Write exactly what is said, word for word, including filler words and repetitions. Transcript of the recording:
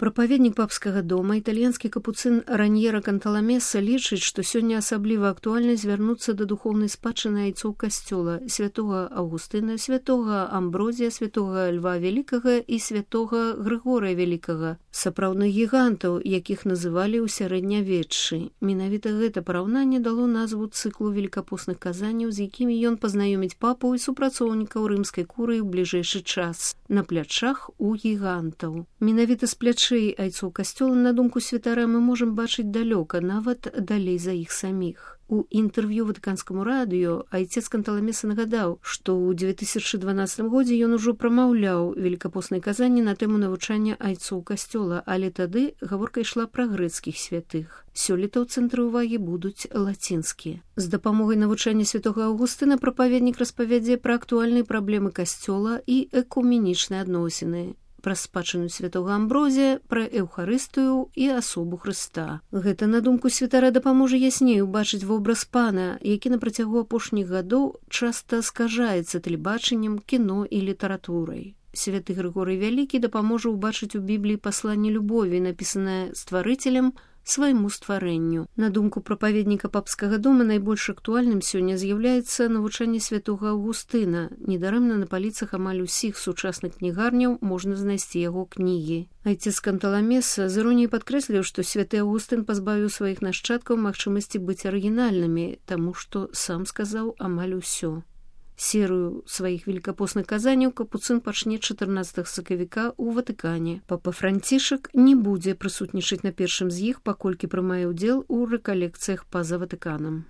Прапаведнік папскага дома, італьянскі капуцын Раньера Канталамеса лічыць, што сёння асабліва актуальна звярнуцца да духоўнай спадчыны айцоў касцёла святога Аўгустына, святога Амброзія, святога Льва Вялікага і святога Грыгорыя Вялікага, сапраўдных гігантаў, якіх называлі ў сярэднявеччы. Менавіта гэта параўнанне дало назву цыклу велікапостных казанняў, з якімі ён пазнаёміць папу і супрацоўнікаў рымскай курыі ў бліжэйшы час. На плячах у гігантаў. Менавіта з плячэй айцоў касцёла, на думку святара, мы можам бачыць далёка, нават далей за іх саміх. У інтэрв'ю ватыканскаму радыё айцец Канталамеса нагадаў, што ў дзве тысячы дванаццатым годзе ён ужо прамаўляў велікапосныя казанні на тэму навучання айцоў касцёла, але тады гаворка ішла пра грэцкіх святых. Сёлета ў цэнтры ўвагі будуць лацінскія. З дапамогай навучання святога Аўгустына прапаведнік распавядзе пра актуальныя праблемы касцёла і экуменічныя адносіны, пра спадчыну святога Амброзія, пра Эўхарыстыю і асобу Хрыста. Гэта, на думку святара, дапаможа ясней убачыць вобраз пана, які на працягу апошніх гадоў часта скажаецца тэлебачаннем, кіно і літаратурай. Святы Грыгорый Вялікі дапаможа ўбачыць у Бібліі пасланне любові, напісанае стварыцелем свайму стварэнню. На думку прапаведніка папскага дома, найбольш актуальным сёння з'яўляецца навучанне святога Аўгустына. Недарэмна на паліцах амаль усіх сучасных кнігарняў можна знайсці яго кнігі. Айцец Канталамеса з іроніяй падкрэсліў, што святы Аўгустын пазбавіў сваіх нашчадкаў магчымасці быць арыгінальнымі, таму што сам сказаў амаль усё. Серыю сваіх велікапосных казанняў капуцын пачне чатырнаццатага сакавіка ў Ватыкане. Папа Францішак не будзе прысутнічаць на першым з іх, паколькі прымае ўдзел у рэкалекцыях па-за Ватыканам.